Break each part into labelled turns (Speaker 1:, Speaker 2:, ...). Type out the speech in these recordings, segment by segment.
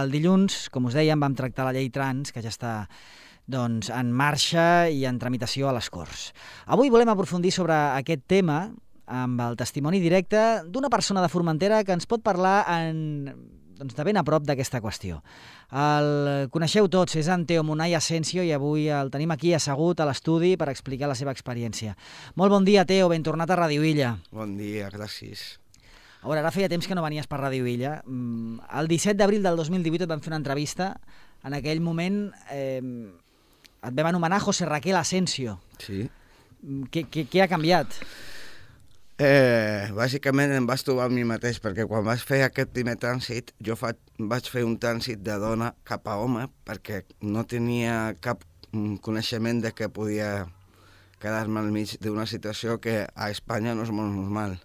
Speaker 1: El dilluns, com us dèiem, vam tractar la llei trans, que ja està en marxa i en tramitació a les Corts. Avui volem aprofundir sobre aquest tema amb el testimoni directe d'una persona de Formentera que ens pot parlar de ben a prop d'aquesta qüestió. El coneixeu tots, és en Teo Munay Asensio i avui el tenim aquí assegut a l'estudi per explicar la seva experiència. Molt bon dia, Teo, ben tornat a Ràdio Illa.
Speaker 2: Bon dia, gràcies.
Speaker 1: A veure, ara feia temps que no venies per Ràdio Illa. El 17 d'abril del 2018 et vam fer una entrevista. En aquell moment et vam anomenar José Raquel Asensio.
Speaker 2: Sí.
Speaker 1: Què ha canviat?
Speaker 2: Bàsicament em vaig trobar a mi mateix, perquè quan vaig fer aquest primer trànsit, jo vaig fer un trànsit de dona cap a home, perquè no tenia cap coneixement de que podia quedar-me al mig d'una situació que a Espanya no és molt normal.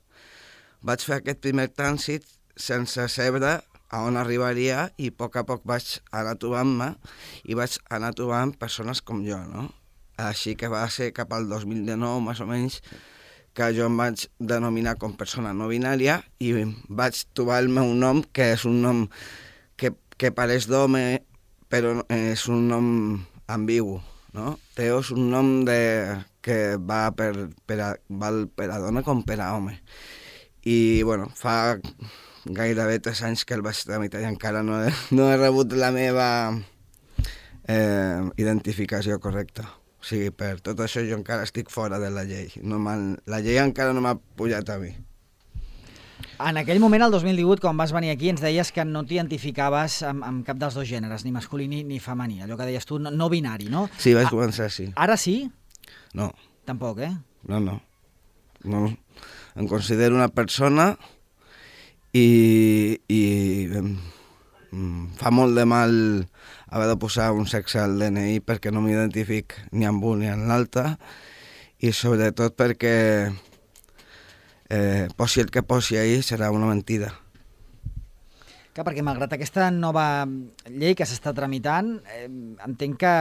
Speaker 2: Vaig fer aquest primer trànsit sense saber a on arribaria i a poc vaig anar trobant-me i vaig anar trobant persones com jo, no? Així que va ser cap al 2019, més o menys, que jo em vaig denominar com persona no binària i vaig trobar el meu nom, que és un nom que pareix d'home, però és un nom ambigu, no? Teo és un nom que val per a dona com per a home. I, bueno, fa gairebé 3 anys que el vaig tramitar i encara no he rebut la meva identificació correcta. O sigui, per tot això jo encara estic fora de la llei. La llei encara no m'ha pujat a mi.
Speaker 1: En aquell moment, el 2018, quan vas venir aquí, ens deies que no t'identificaves amb cap dels dos gèneres, ni masculí ni femení. Allò que deies tu, no binari, no?
Speaker 2: Sí, vaig començar així.
Speaker 1: Ara sí?
Speaker 2: No.
Speaker 1: Tampoc, eh?
Speaker 2: No. Em considero una persona i fa molt de mal haver de posar un sexe al DNI perquè no m'identific ni amb un ni amb l'altre i sobretot perquè posi el que posi ahí serà una mentida.
Speaker 1: Clar, perquè malgrat aquesta nova llei que s'està tramitant, entenc que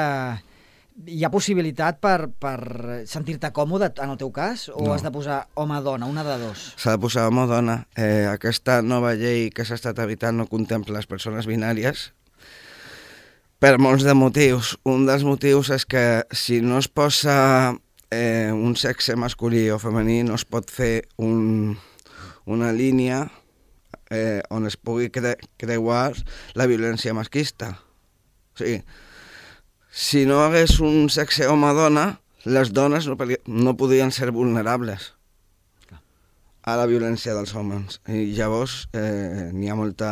Speaker 1: hi ha possibilitat per sentir-te còmode en el teu cas o has de posar home-dona, una de dos?
Speaker 2: S'ha de posar home-dona. Aquesta nova llei que s'està tramitant no contempla les persones binàries per molts de motius. Un dels motius és que si no es posa un sexe masculí o femení no es pot fer una línia on es pugui creuar la violència masclista. O sigui, si no hagués un sexe home-dona, les dones no podrien ser vulnerables a la violència dels homes. I llavors n'hi ha molta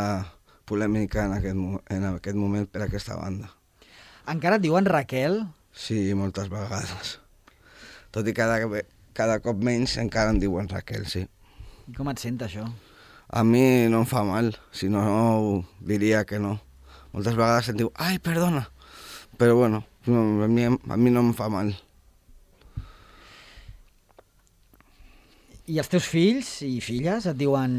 Speaker 2: polèmica en aquest moment per aquesta banda.
Speaker 1: Encara et diuen Raquel?
Speaker 2: Sí, moltes vegades. Tot i cada cop menys encara em diuen Raquel, sí.
Speaker 1: I com et sent això?
Speaker 2: A mi no em fa mal, si no diria que no. Moltes vegades em diu, ai, perdona, però bueno, a mi no em fa mal.
Speaker 1: I els teus fills i filles et diuen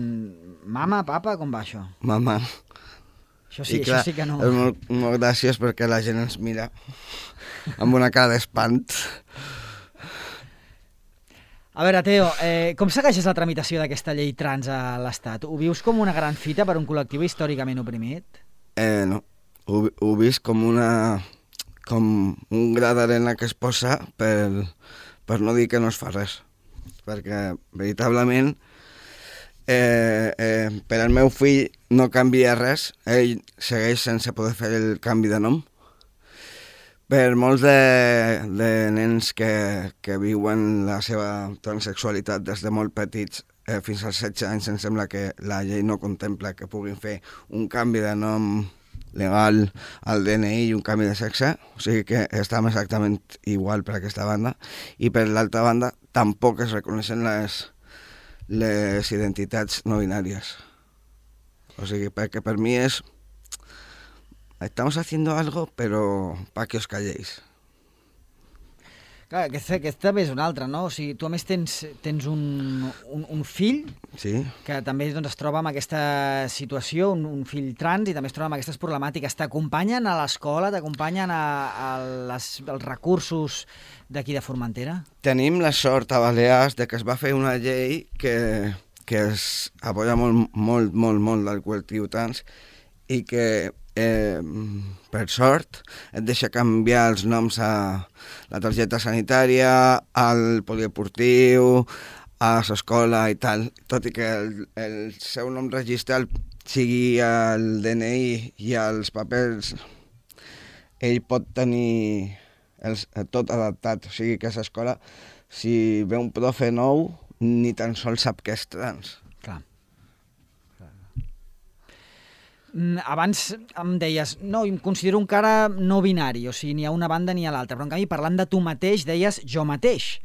Speaker 1: mama, papa, com va això?
Speaker 2: Mama.
Speaker 1: Això sí que no.
Speaker 2: És molt gràcies perquè la gent ens mira amb una cara d'espant.
Speaker 1: A veure, Teo, com segueixes la tramitació d'aquesta llei trans a l'Estat? Ho vius com una gran fita per un col·lectiu històricament oprimit?
Speaker 2: No, ho vist com un gra d'arena que es posa per no dir que no es fa res. Perquè, veritablement, per al meu fill no canvia res, ell segueix sense poder fer el canvi de nom. Per molts de nens que viuen la seva transsexualitat des de molt petits fins als 16 anys, em sembla que la llei no contempla que puguin fer un canvi de nom legal al DNI i un canvi de sexe, o sigui que estem exactament igual per aquesta banda, i per l'altra banda tampoc es reconeixen les identitats no binàries. O sigui, perquè per mi és estamos haciendo algo, pero para que os calléis.
Speaker 1: Clar, aquest també és un altre, no? O sigui, tu a més tens un fill que també es troba en aquesta situació, un fill trans, i també es troba amb aquestes problemàtiques. T'acompanyen a l'escola, t'acompanyen als recursos d'aquí de Formentera?
Speaker 2: Tenim la sort a Balears de que es va fer una llei que es apoya molt del col·lectiu trans i que per sort, et deixa canviar els noms a la targeta sanitària, al poliesportiu, a l'escola i tal, tot i que el seu nom registral sigui el DNI i els papers, ell pot tenir tot adaptat, o sigui que a l'escola, si ve un profe nou, ni tan sols sap que és trans.
Speaker 1: Clar. Abans em deies, no, em considero encara no binari, o sigui, ni a una banda ni a l'altra, però en canvi, parlant de tu mateix, deies jo mateix.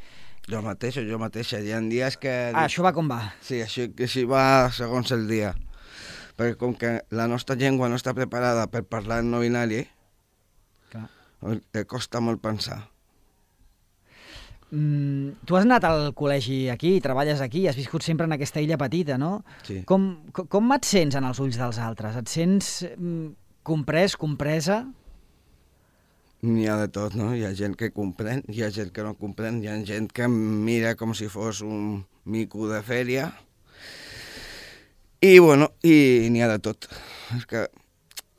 Speaker 2: Jo mateix o jo mateixa, hi ha dies que...
Speaker 1: Això va com va.
Speaker 2: Sí, així va segons el dia. Perquè com que la nostra llengua no està preparada per parlar en no binari, costa molt pensar.
Speaker 1: Tu has anat al col·legi aquí, treballes aquí, has viscut sempre en aquesta illa petita, no?
Speaker 2: Sí.
Speaker 1: Com et sents en els ulls dels altres? Et sents comprès, compresa?
Speaker 2: N'hi ha de tot, no? Hi ha gent que comprèn, hi ha gent que no comprèn, hi ha gent que em mira com si fos un mico de fèria. I, bueno, i n'hi ha de tot.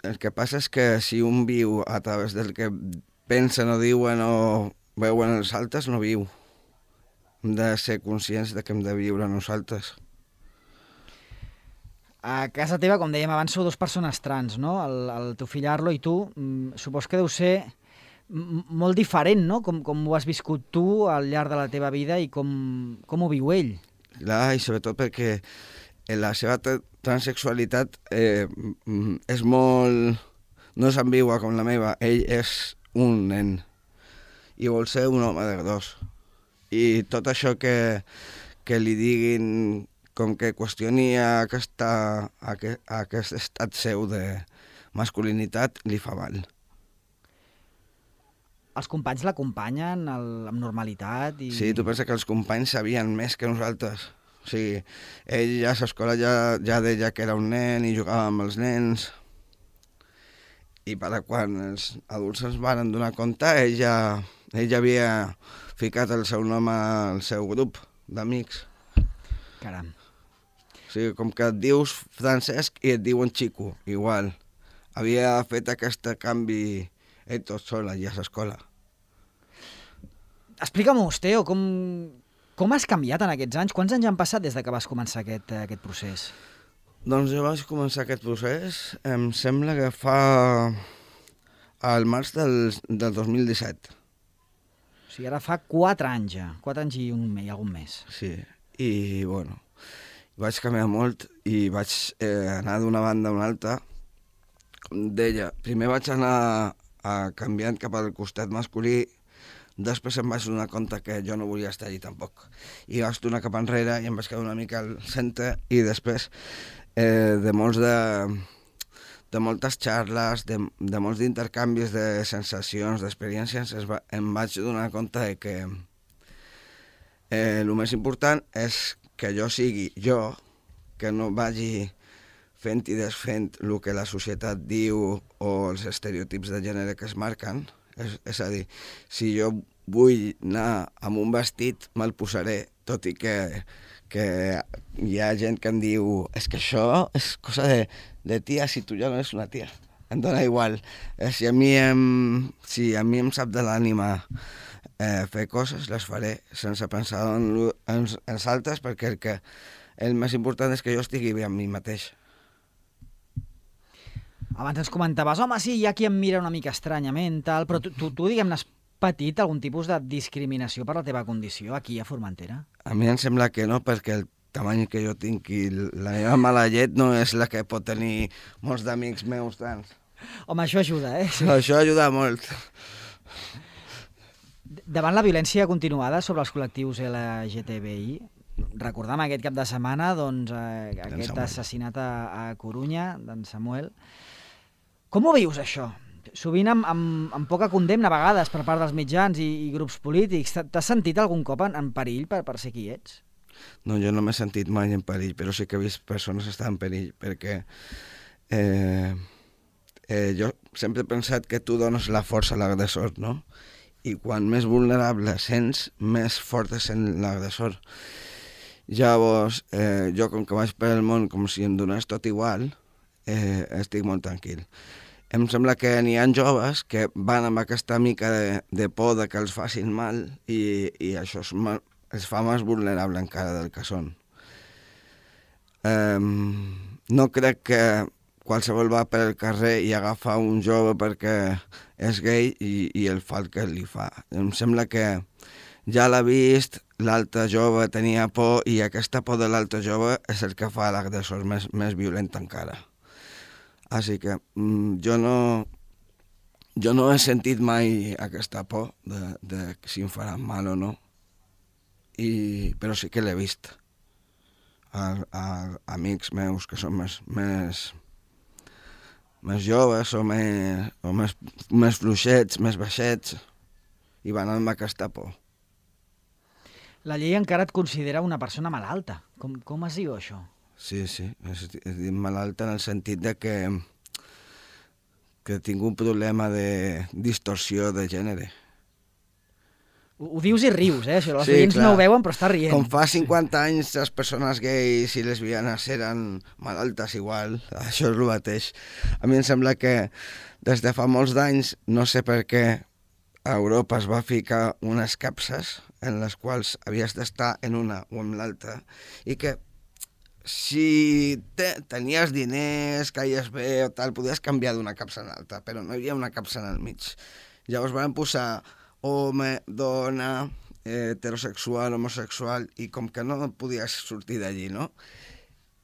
Speaker 2: El que passa és que si un viu a través del que pensen o diuen o veuen els altres, no viu. Hem de ser conscients de que hem de viure nosaltres.
Speaker 1: A casa teva, com dèiem abans, sou dues persones trans, no? El teu fill Arlo i tu. Supos que deu ser molt diferent, no? Com ho has viscut tu al llarg de la teva vida i com ho viu ell.
Speaker 2: Clar, i sobretot perquè la seva transsexualitat és molt... no és ambigua com la meva. Ell és un nen i vol ser un home de gros. I tot això que li diguin com que qüestioni aquest estat seu de masculinitat li fa mal.
Speaker 1: Els companys l'acompanyen amb normalitat?
Speaker 2: Sí, tu penses que els companys sabien més que nosaltres. O sigui, ell a l'escola ja deia que era un nen i jugava amb els nens. I quan els adults ens van donar compte, ell ja havia ficat el seu nom al seu grup d'amics.
Speaker 1: Caram.
Speaker 2: O sigui, com que et dius Francesc i et diuen Chico, igual. Havia fet aquest canvi ell tot sol allà a l'escola.
Speaker 1: Explica'm-ho, Teo, com has canviat en aquests anys? Quants anys han passat des que vas començar aquest procés?
Speaker 2: Doncs jo vaig començar aquest procés, em sembla que fa al març del 2017.
Speaker 1: O sigui, ara fa 4 anys ja, 4 anys i algun mes.
Speaker 2: Sí, i bueno, vaig canviar molt i vaig anar d'una banda a una altra. Com deia, primer vaig anar canviant cap al costat masculí, després em vaig donar compte que jo no volia estar allí tampoc. I vaig tornar cap enrere i em vaig quedar una mica al centre i després de moltes xarles, de molts intercanvis de sensacions, d'experiències, em vaig donar compte que el més important és que jo sigui jo, que no vagi fent i desfent el que la societat diu o els estereotips de gènere que es marquen. És a dir, si jo vull anar amb un vestit, me'l posaré, tot i que hi ha gent que em diu és que això és cosa de tia, si tu ja no ets una tia. Em dona igual. Si a mi em sap de l'ànima fer coses, les faré sense pensar en els altres, perquè el més important és que jo estigui bé amb mi mateix.
Speaker 1: Abans ens comentaves, home, sí, hi ha qui em mira una mica estranyament, tal, però tu diguem-ne, has patit algun tipus de discriminació per la teva condició aquí a Formentera? A
Speaker 2: mi em sembla que no, perquè el tamany que jo tinc i la meva mala llet no és la que pot tenir molts d'amics meus tants.
Speaker 1: Home, això ajuda, eh? Sí.
Speaker 2: Això ajuda molt.
Speaker 1: Davant la violència continuada sobre els col·lectius LGTBI, recordam aquest cap de setmana doncs, aquest assassinat a Corunya, d'en Samuel. Com ho vius, això? Sovint amb poca condemna, a vegades, per part dels mitjans i grups polítics. T'has sentit algun cop en perill per ser qui ets?
Speaker 2: No, jo no m'he sentit mai en perill, però sí que he vist persones estar en perill, perquè jo sempre he pensat que tu dones la força a l'agressor, no? I quan més vulnerable sents, més fort és l'agressor. Llavors, jo com que vaig per el món com si em donés tot igual, estic molt tranquil. em sembla que n'hi ha joves que van amb aquesta mica de por de que els facin mal i això els fa més vulnerable encara del que són. No crec que qualsevol va per el carrer i agafa un jove perquè és gay i el fa el que li fa. Em sembla que ja l'ha vist, l'altre jove tenia por i aquesta por de l'altre jove és el que fa l'agressor més violent encara. Així que jo no he sentit mai aquesta por de si em faran mal o no, però sí que l'he vist a amics meus que són més joves o més fluixets, més baixets, i van amb aquesta por.
Speaker 1: La llei encara et considera una persona malalta. Com es diu això?
Speaker 2: Sí, és dir malalta en el sentit de que tinc un problema de distorsió de gènere.
Speaker 1: Ho dius i rius, Això, els oients no ho veuen, però està rient.
Speaker 2: Com fa 50 anys les persones gais i lesbianes eren malaltes igual, això és el mateix. A mi em sembla que des de fa molts d'anys, no sé per què, a Europa es va ficar unes capses en les quals havies d'estar en una o en l'altra i que si tenies diners, caies bé o tal, podies canviar d'una capsa a l'altra, però no hi havia una capsa en el mig. Llavors van posar home, dona, heterosexual, homosexual, i com que no podies sortir d'allí, no?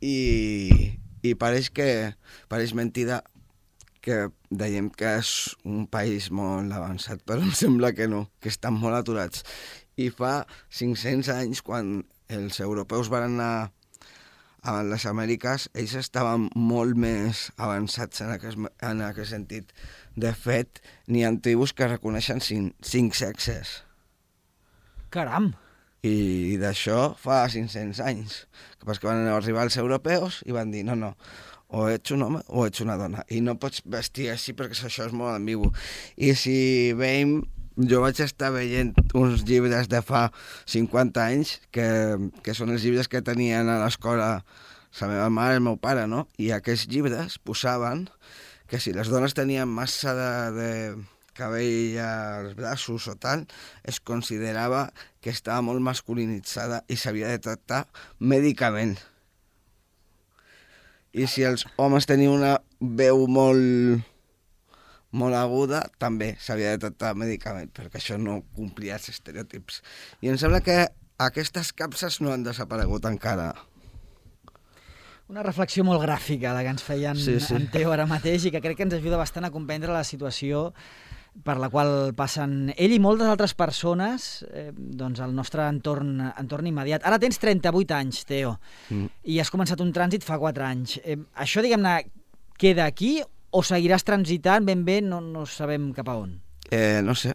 Speaker 2: I pareix mentida que dèiem que és un país molt avançat, però em sembla que no, que estan molt aturats. I fa 500 anys, quan els europeus van anar a les Amèriques, ells estaven molt més avançats en aquest sentit. De fet, n'hi ha tribus que reconeixen 5 sexes.
Speaker 1: Caram!
Speaker 2: I d'això fa 500 anys. Que van arribar els europeus i van dir, no, o ets un home o ets una dona. I no pots vestir així perquè això és molt ambigu. I si veiem, jo vaig estar veient uns llibres de fa 50 anys, que són els llibres que tenien a l'escola la meva mare i el meu pare, no? I aquests llibres posaven que si les dones tenien massa de cabell als braços o tal, es considerava que estava molt masculinitzada i s'havia de tractar mèdicament. I si els homes tenien una veu molt aguda, també s'havia de tractar mèdicament, perquè això no complia els estereotips. I em sembla que aquestes capses no han desaparegut encara.
Speaker 1: Una reflexió molt gràfica, la que ens feia en Teo ara mateix, i que crec que ens ajuda bastant a comprendre la situació per la qual passen ell i moltes altres persones doncs al nostre entorn immediat. Ara tens 38 anys, Teo, i has començat un trànsit fa 4 anys. Això, diguem-ne, queda aquí o seguiràs transitant ben bé, no sabem cap a on?
Speaker 2: No sé.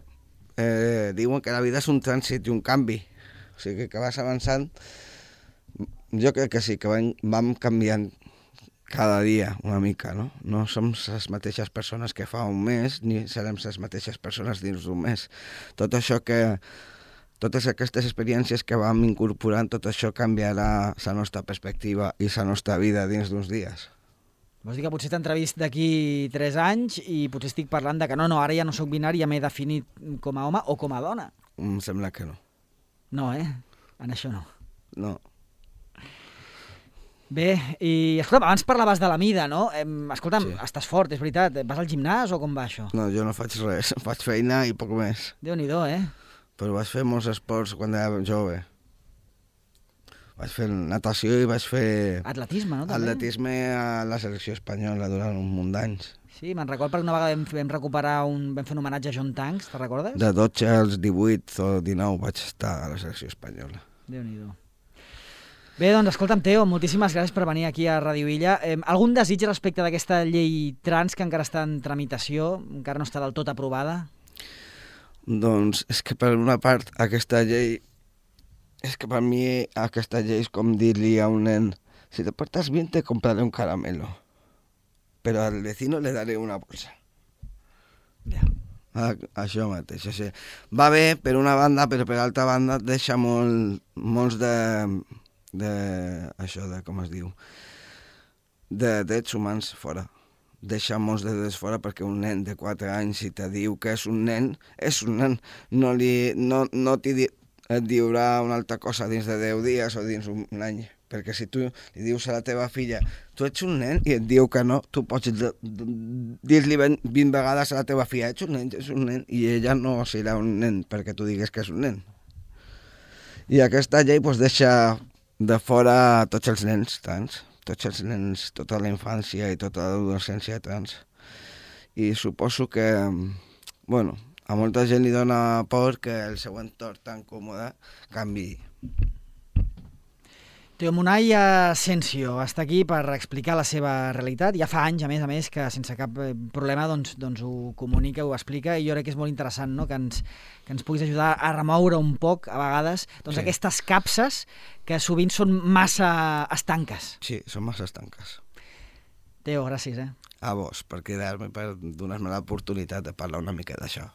Speaker 2: Diuen que la vida és un trànsit i un canvi. O sigui que vas avançant. Jo crec que sí, que vam canviant cada dia una mica, no? No som les mateixes persones que fa un mes, ni serem les mateixes persones dins d'un mes. Tot això totes aquestes experiències que vam incorporant, tot això canviarà la nostra perspectiva i la nostra vida dins d'uns dies.
Speaker 1: Vols dir que potser t'he entrevist d'aquí 3 anys i potser estic parlant de que no, ara ja no sóc binari, ja m'he definit com a home o com a dona?
Speaker 2: Em sembla que no.
Speaker 1: No, en això no.
Speaker 2: No.
Speaker 1: Bé, i escolta'm, abans parlaves de la mida, no? Escolta'm,
Speaker 2: Sí.
Speaker 1: Estàs fort, és veritat. Vas al gimnàs o com va això?
Speaker 2: No, jo no faig res, faig feina i poc més.
Speaker 1: Déu-n'hi-do,
Speaker 2: Però vaig fer molts esports quan era jove. Vaig fer natació i vaig fer
Speaker 1: Atletisme, no? També?
Speaker 2: atletisme a la selecció espanyola durant un munt d'anys.
Speaker 1: Sí, me'n recordo perquè una vegada vam fer un homenatge a John Tanks, te'n recordes?
Speaker 2: De 12 als 18 o 19 vaig estar a la selecció espanyola.
Speaker 1: Déu-n'hi-do. Bé, doncs, escolta'm, Teo, moltíssimes gràcies per venir aquí a Radio Illa. Algun desig respecte d'aquesta llei trans que encara està en tramitació, encara no està del tot aprovada?
Speaker 2: Doncs és que per una part aquesta llei... És que per mi aquesta llei és com dir-li a un nen si te portas bien te compraré un caramelo, però al vecino le daré una bolsa.
Speaker 1: Ja.
Speaker 2: Això mateix. O sigui, va bé per una banda, però per altra banda deixa molts de això de, com es diu, de drets humans fora deixar-nos de desfora, perquè un nen de 4 anys, si te diu que és un nen, és un nen. No et diurà una altra cosa dins de 10 dies o dins un any. Perquè si tu li dius a la teva filla tu ets un nen i et diu que no, tu pots dir-li 20 vegades a la teva filla ets un nen, i ella no serà un nen perquè tu digues que és un nen. I aquesta llei deixa de fora tots els nens trans, tota la infància i tota l'adolescència trans. I suposo que, a molta gent li dona por que el seu entorn tan còmode canviï.
Speaker 1: Teo Munay Asensio està aquí per explicar la seva realitat. Ja fa anys, a més, que sense cap problema doncs ho comunica, ho explica, i jo crec que és molt interessant, no?, que ens puguis ajudar a remoure un poc, a vegades, aquestes capses que sovint són massa estanques.
Speaker 2: Sí, són massa estanques.
Speaker 1: Teo, gràcies.
Speaker 2: A vos, per quedar-me, per donar-me l'oportunitat de parlar una mica d'això.